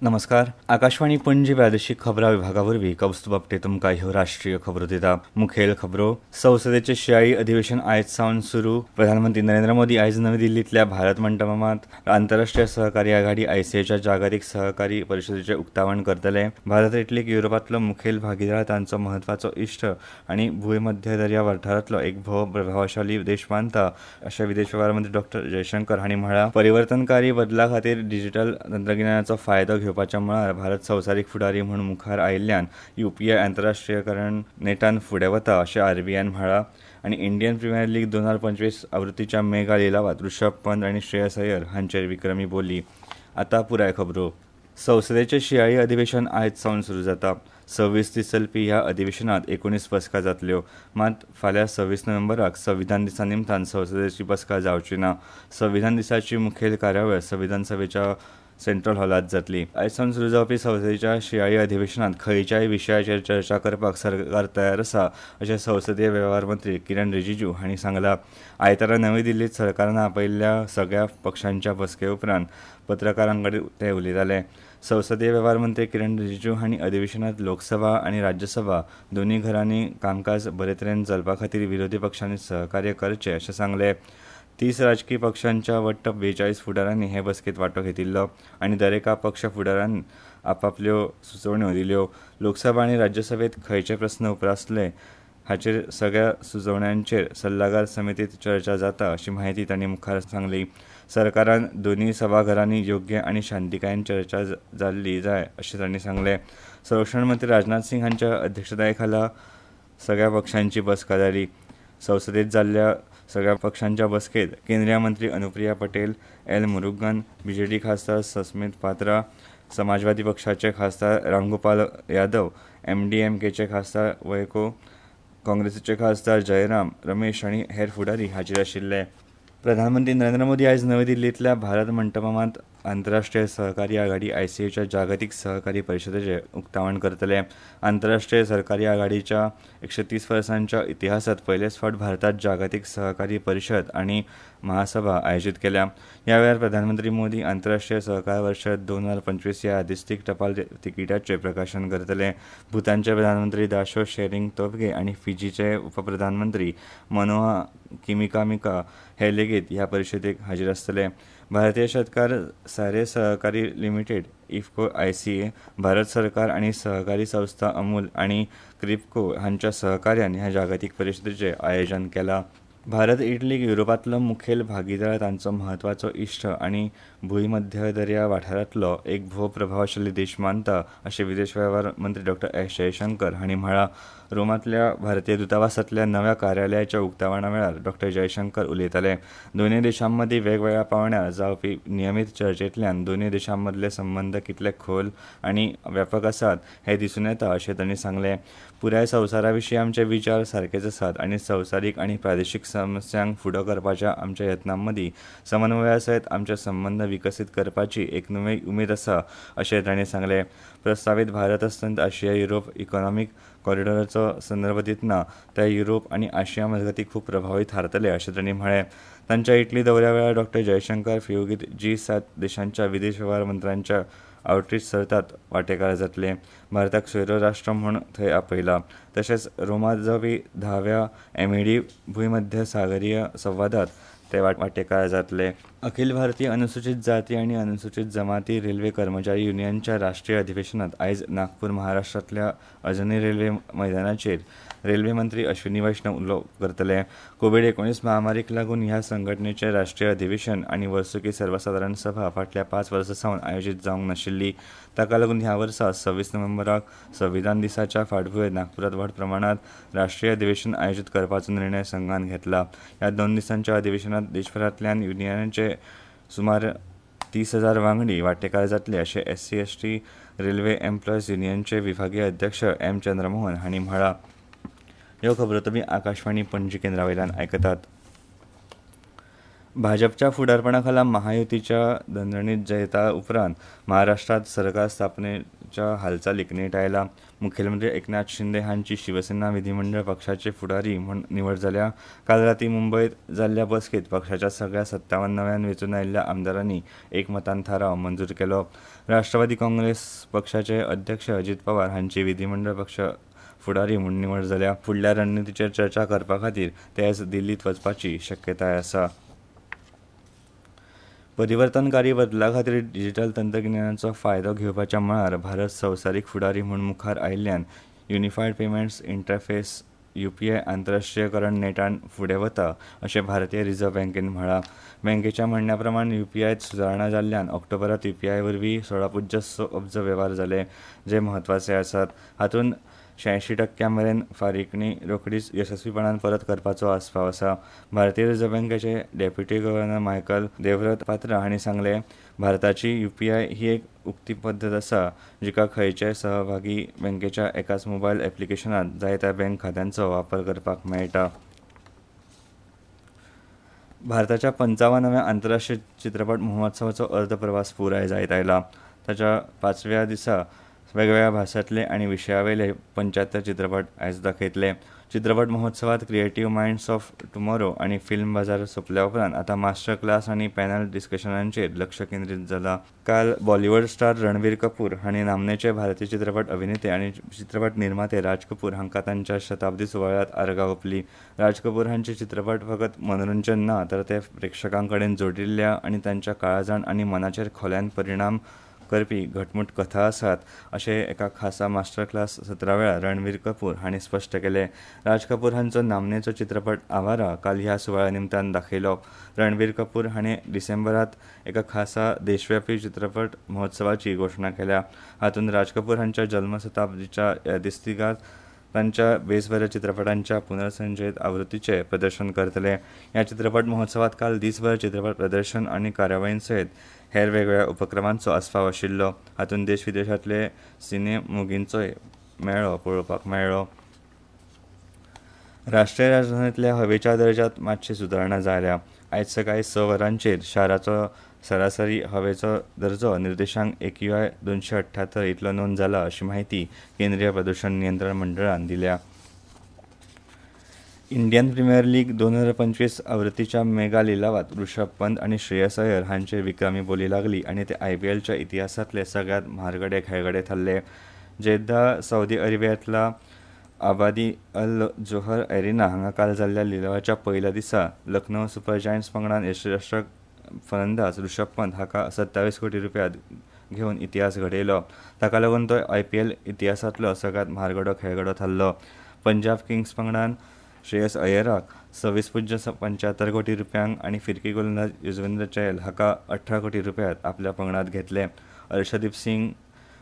नमस्कार, आकाशवाणी पणजी प्रादेशीक खबरां विभागा वरवीं कौस्तुभ आपटे तुमकां ह्यो राष्ट्रीय खबरो दिता. मुखेल खबरो. संसदेचें शिंयाळी अधिवेशन आयज सावन सुरू. प्रधानमंत्री नरेंद्र मोदी आयज नवी दिल्लींतल्या भारत मंटपमांत आंतरराष्ट्रीय सहकारी आघाडी आयसीएच्या जागतीक सहकारी परिशदेचें उक्तावण करतले. भारत इटलीक युरोपांतलो मुखेल भागीदार, तांचो म्हत्वाचो इश्ट आनी भूंयमध्य दर्या वाठारांतलो एक भोव प्रभावशाली देश मानता अशें विदेश वेव्हार मंत्री डॉ जयशंकर हांणी म्हळां. परिवर्तनकारी बदला खातीर डिजिटल तंत्रगिन्यानाचो फायदो घेवपाच्या मळार भारत संवसारीक फुडारी म्हूण मुखार आयिल्ल्यान युपीआय आंतरराष्ट्रीयकरण नेटान फुडें वता अशें आरबीआयन म्हळां. आनी Indian premier league 2025 आवृत्तीच्या mega लिलावांत Rishabh Pant आनी श्रेयस अय्यर हांचेर विक्रमी बोली. आतां पुराय खबरो. संसदेचें शिंयाळी अधिवेशन आयज सावन सुरू जाता. 26 दीस चलपी ह्या अधिवेशनांत 19 बसका जातल्यो. मात फाल्यां 26 नोव्हेंबराक संविधान दिसा निमतान संसदेची बसका जावची ना. संविधान दिसाची मुखेल कार्यावळ संविधान सभेच्या सेंट्रल हॉलांत जातली. आयज सावन सुरू जावपी संसदेच्या शिंयाळी अधिवेशनांत खंयच्याय विशयाचेर चर्चा करपाक सरकार तयार आसा अशें संसदीय वेव्हार मंत्री किरण रिजिजू हांणी सांगलां. आयतारा नवी दिल्लींत सरकारान आपयिल्ल्या सगळ्या पक्षांच्या बसके उपरांत पत्रकारां कडेन ते उलयताले. संसदीय वेव्हार मंत्री किरण रिजिजू हांणी अधिवेशनांत लोकसभा आनी राज्यसभा दोनूय घरांनी कामकाज बरे तरेन चलपा खातीर विरोधी पक्षांनी सहकार्य करचें अशें सांगलें. 30 राजकी पक्षांच्या वट्ट 42 फुडारांनी हे बसकेंत वांटो घेतिल्लो आनी दरेका पक्ष फुडारान आपापल्यो सुचोवण्यो दिल्यो. लोकसभा आनी राज्यसभेंत खंयचे प्रस्न उप्रासले हाचेर सगळ्या सुचोवण्यांचेर सल्लागार समितींत चर्चा जाता अशी म्हायती तांणी मुखार सांगली. सरकारान दोनूय सभाघरांनी योग्य आनी शांतीकायेन चर्चा जाल्ली जाय अशें तांणी सांगलें. संरक्षण मंत्री राजनाथ सिंग हांच्या अध्यक्षताये खाला सगळ्या पक्षांची बसका जाली. संसदेंत जाल्ल्या सगळ्या पक्षांच्या बसकेंत केंद्रीय मंत्री अनुप्रिया पटेल, एल मुरुगन, बीजेडी खासदार सस्मित पात्रा, समाजवादी पक्षाचे खासदार रामगोपाल यादव, एमडीएमकेचे खासदार वयको, काँग्रेसीचे खासदार जयराम रमेश आनी हेर फुडारी हाजीर आशिल्ले. प्रधानमंत्री नरेंद्र मोदी आयज नवी दिल्लींतल्या भारत मंटपमांत आंतरराष्ट्रीय सहकारी आघाडी आयसीएच्या जागतीक सहकारी परिशदेचें उक्तावण करतले. आंतरराष्ट्रीय सहकारी आघाडीच्या 130 वर्सांच्या इतिहासांत पयलेच फावट भारतांत जागतीक सहकारी परिशद आनी महासभा आयोजीत केल्या. ह्या वेळार प्रधानमंत्री मोदी आंतरराष्ट्रीय सहकार वर्ष 2025 ह्या यादस्तीक टपाल तिकिटाचें प्रकाशन करतले. भूतानचे प्रधानमंत्री दाशो शेरिंग तोबगे आनी फिजीचे उपप्रधानमंत्री मनोहा किमिकामिका हे लेगीत ह्या परिशदेक हाजीर आसतले. भारतीय शेतकार सारे सहकारी लिमिटेड इफको आयसीए, भारत सरकार आनी सहकारी संस्था अमूल आनी क्रिपको हांच्या सहकार्यान ह्या जागतीक परिशदेचें आयोजन केलां. भारत इटलीक युरोपांतलो मुखेल भागीदार, तांचो म्हत्वाचो इश्ट आनी भूंयमध्य दर्या वाठारांतलो एक भोव प्रभावशाली देश मानता अशें विदेश वेव्हार मंत्री डॉ एस जयशंकर हांणी म्हळां. रोमांतल्या भारतीय दूतावासांतल्या नव्या कार्यालयाच्या उक्तावणा वेळार डॉ जयशंकर उलयताले. दोनूय देशांमदीं वेगवेगळ्या पांवड्यार जावपी नियमीत चर्चेंतल्यान दोनूय देशांमदले संबंद कितले खोल आनी व्यापक आसात हें दिसून येता अशें तांणी सांगलें. पुराय संवसारा विशीं आमचे विचार सारकेच आसात आनी संवसारीक आनी प्रादेशीक समस्यांक फुडो करपाच्या आमच्या यत्नांमदीं समन्वया सयत आमचे संबंद विकसीत करपाची एक नवी उमेद आसा अशें तांणी सांगलें. प्रस्तावीत भारत अस्तंत आशिया युरोप इकॉनॉमीक कॉरिडॉराचो संदर्भ दितना ते युरोप आनी आशिया मजगतीं खूब प्रभावी थारतले अशें तांणी म्हळें. तांच्या इटली दौऱ्या वेळार डॉ जयशंकर फियोगीत जी7 देशांच्या विदेश वेव्हार मंत्र्यांच्या आवटरीच सर्तांत वांटेकार जातले. भारताक सोयरो राष्ट्र म्हूण थंय आपयला. तशेंच रोमांत जावपी 10व्या एमएडी भूंयमध्य सागरीय संवादांत ते वांटेकार जातले. अखिल भारतीय अनुसूचित जाती आनी अनुसूचित जमाती रेल्वे कर्मचारी युनियनच्या राष्ट्रीय अधिवेशनांत आयज नागपूर महाराष्ट्रांतल्या अजनी रेल्वे मैदानाचेर रेल्वे मंत्री अश्विनी वैष्णव उलोवप करतले. कोवीड-19 महामारीक लागून ह्या संघटनेचें राष्ट्रीय अधिवेशन आनी वर्सुकी सर्वसादारण सभा फाटल्या 5 वर्सां सावन आयोजीत जावंक नाशिल्ली. ताका लागून ह्या वर्सा 26 नोव्हेंबराक संविधान दिसाच्या फाटभुंयेर नागपूरांत व्हड प्रमाणांत राष्ट्रीय अधिवेशन आयोजीत करपाचो निर्णय संघान घेतला. ह्या 2 दिसांच्या अधिवेशनांत देशभरांतल्यान युनियनाचे सुमार 30,000 वांगडी वांटेकार जातले अशें एससी-एसटी रेल्वे एम्प्लॉयज युनियनचे विभागीय अध्यक्ष एम चंद्रमोहन हांणी म्हळां. ह्यो खबरो तुमी आकाशवाणी पणजी केंद्रा वयल्यान आयकतात. भाजपच्या फुडारपणाखाला महायुतीच्या दणदणीत जैता उपरांत महाराष्ट्रात सरकार स्थापनेच्या हालचालीक नेट आयला. मुखेलमंत्री एकनाथ शिंदे हांची शिवसेना विधिमंडळ पक्षाचे फुडारी म्हूण निवड जाल्या. काल राती मुंबयत जाल्ल्या बसकेत पक्षाच्या सगळ्या 57 नव्यान वेंचून आयिल्ल्या आमदारांनी एकमतान थाराव मंजूर केलो. राष्ट्रवादी काँग्रेस पक्षाचे अध्यक्ष अजित पवार हांची विधिमंडळ पक्ष फुडारी म्हूण निवड जाल्या. फुडल्या रणनितीचेर चर्चा करपा खातीर ते आयज दिल्लीत वचपाची शक्यताय आसा. परिवर्तनकारी बदला खातीर डिजिटल तंत्रगिन्यानाचो फायदो घेवपाच्या मळार भारत संवसारीक फुडारी म्हूण मुखार आयिल्ल्यान युनिफायड पेमेंट्स इंटरफेस यूपीआय आंतरराष्ट्रीयकरण नेटान फुडें वता अशें भारतीय रिझर्व्ह बँकेन म्हळां. बँकेच्या म्हणण्या प्रमाण यूपीआयत सुदारणा जाल्ल्यान ऑक्टोबरांत यूपीआय वरवीं 16.6 अब्ज वेव्हार जाले, जे म्हत्वाचे आसात. हातूंत 86% मेरेन फारीकणी रोखडीच येसस्वीपणान परत करपाचो आस्पाव आसा. भारतीय रिझर्व्ह बँकेचे डेप्युटी गव्हर्नर मायकल देवव्रत पात्रा हांणी सांगलें, भारताची यूपीआय ही एक उक्ती पद्दत आसा जिका खंयच्याय सहभागी बँकेच्या एकाच मोबायल ऍप्लिकेशनांत जाय त्या बँक खात्यांचो वापर करपाक मेळटा. भारताच्या 55व्या आंतरराष्ट्रीय चित्रपट महोत्सवाचो अर्द प्रवास पुराय जायत आयला. ताच्या 5व्या दिसा वेगवेगळ्या भासांतले आनी विशयावेले 75 चित्रपट आयज दाखयतले. चित्रपट महोत्सवात क्रिएटिव्ह मायंड्स ऑफ टुमॉरो आनी फिल्म बाजार सोंपल्या उपरांत आतां मास्टर क्लास आनी पॅनल डिस्कशनांचेर लक्ष केंद्रीत जाला. काल बॉलिवूड स्टार रणबीर कपूर हांणी नामनेचे भारतीय चित्रपट अभिनेते आनी चित्रपट निर्माते राज कपूर हांकां तांच्या शताब्दी सुवाळ्यांत आर्गां ओंपली. राज कपूर हांचे चित्रपट फकत मनोरंजन ना तर ते प्रेक्षकां कडेन जोडिल्ल्या आनी तांच्या काळजान आनी मनाचेर खोल्यान परिणाम करपी घटमूट कथा आसात अशें एका खासा मास्टर क्लास सत्रा वेळार रणबीर कपूर हांणी स्पश्ट केलें. राज कपूर हांचो नामनेचो चित्रपट आवारा काल ह्या सुवाळ्या निमतान दाखयलो. रणबीर कपूर हांणी डिसेंबरांत एका खासा देशव्यापी चित्रपट महोत्सवाची घोशणा केल्या. हातूंत राज कपूर हांच्या जल्मशताब्दीच्या यादस्तिकांत तांच्या बेसबऱ्या चित्रपटांच्या पुनर्संचयित आवृत्तीचें प्रदर्शन करतले. ह्या चित्रपट महोत्सवात काल दीसभर चित्रपट प्रदर्शन आनी कार्यावळीं सयत हेर वेगवेगळ्या उपक्रमांचो आस्पाव आशिल्लो. हातूंत देश विदेशांतले सिने मोगींचोय मेळो पळोवपाक मेळ्ळो. राष्ट्रीय राजधानींतल्या हवेच्या दर्जांत मात्शी सुदारणा जाल्या. आयज सकाळीं 6 वरांचेर शाराचो सरासरी हवेचो दर्जो निर्देशांक AQI 278 इतलो नोंद जाला अशी माहिती केंद्रीय प्रदूषण नियंत्रण मंडळान दिल्या. Indian premier league 2025 आवृत्तीच्या mega लिलावात Rishabh Pant आनी श्रेयस अय्यर हांचेर विक्रमी बोली लागली आनी ते आयपीएलच्या इतिहासांतले सगळ्यांत म्हारगडे खेळगडे थारले. जेद्दा सौदी अरेबियांतल्या आबादी अल जोहर एरिना हांगा काल जाल्ल्या लिलावाच्या पयल्या दिसा लखनौ सुपर जायंट्स पंगडान यष्टीरक्षक फलंदाज ऋषभ पंत हाका 27 कोटी रुपया घेवन इतिहास घडयलो. ताका लागून तो आयपीएल इतिहासांतलो सगळ्यांत म्हारगडो खेळगडो थारलो. पंजाब किंग्स पंगडान श्रेयस अय्यराक 26.75 कोटी रुपयांक आनी फिरकी गोलंदाज युजवेंद्र चहल हाका 18 कोटी रुपयांत आपल्या पंगडांत घेतले. अर्शदीप सिंग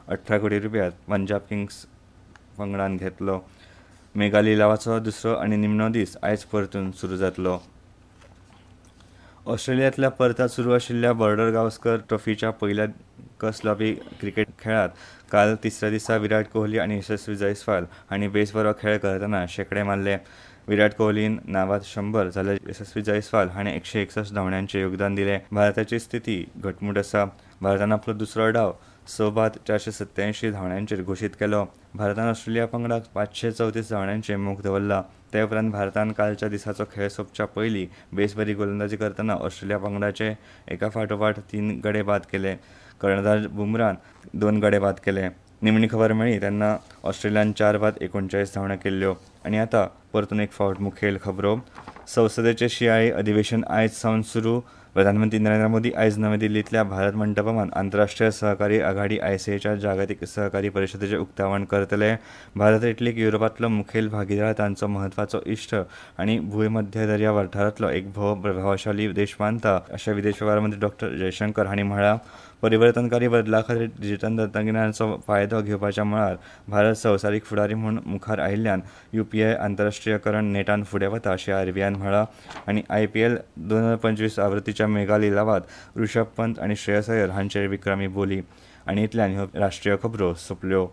18 कोटी रुपयांत पंजाब किंग्स पंगडान घेतलो. मेगा लिलावाचो दुसरो आनी निमणो दीस आयज परतून सुरू जातलो. ऑस्ट्रेलियांतल्या पर्थात सुरू आशिल्ल्या बॉर्डर गावस्कर ट्रॉफीच्या पयल्या कस लावपी क्रिकेट खेळांत काल तिसऱ्या दिसा विराट कोहली आनी यशस्वी जयस्वाल हांणी बेस बरो खेळ करतना शेंकडे मारले. विराट कोहलीन नावात 100 जाल्यार यशस्वी जयस्वाल हाणें 161 धांवड्यांचें योगदान दिलें. भारताची स्थिती घटमूट आसा. भारतान आपलो दुसरो डाव 6 बाद 487 धांवड्यांचेर घोशीत केलो. भारतान ऑस्ट्रेलिया पंगडाक 534 धांवड्यांचेर मोख दवरला. ते उपरांत भारतान कालच्या दिसाचो खेळ सोंपच्या पयलीं बेसबरी गोलंदाजी करतना ऑस्ट्रेलिया पंगडाचे एका फाटोफाट 3 गडे बाद केले. कर्णधार बुमरान 2 गडे बाद केले. निमणी खबर मेळ्ळी तेन्ना ऑस्ट्रेलियान 4 बाद 39 धांवड्यो केल्ल्यो. आनी आतां परतून एक फावट मुखेल खबरो. संसदेचें शिंयाळी अधिवेशन आयज सावन सुरू. प्रधानमंत्री नरेंद्र मोदी आयज नवी दिल्लींतल्या भारत मंटपमांत आंतरराष्ट्रीय सहकारी आघाडी आयसीएच्या जागतीक सहकारी परिशदेचें उक्तावण करतले. भारत इटलीक युरोपांतलो मुखेल भागीदार, तांचो म्हत्वाचो इश्ट आनी भूंयमध्य दर्या वाठारांतलो एक भोव प्रभावशाली देश मानता अशें विदेश वेव्हार मंत्री डॉ जयशंकर हांणी म्हळां. परिवर्तनकारी बदला खातीर डिजिटल तंत्रगिन्यानाचो फायदो घेवपाच्या मळार भारत संवसारीक फुडारी म्हूण मुखार आयिल्ल्यान यूपीआय आंतरराष्ट्रीयकरण नेटान फुडें वता अशें आरबीआयन म्हळां. आनी आयपीएल 2025 आवृत्तीच्या मेगा लिलावात ऋषभ पंत आनी श्रेयस अय्यर हांचेर विक्रमी बोली. आनी इतल्यान ह्यो राष्ट्रीय खबरो सोंपल्यो.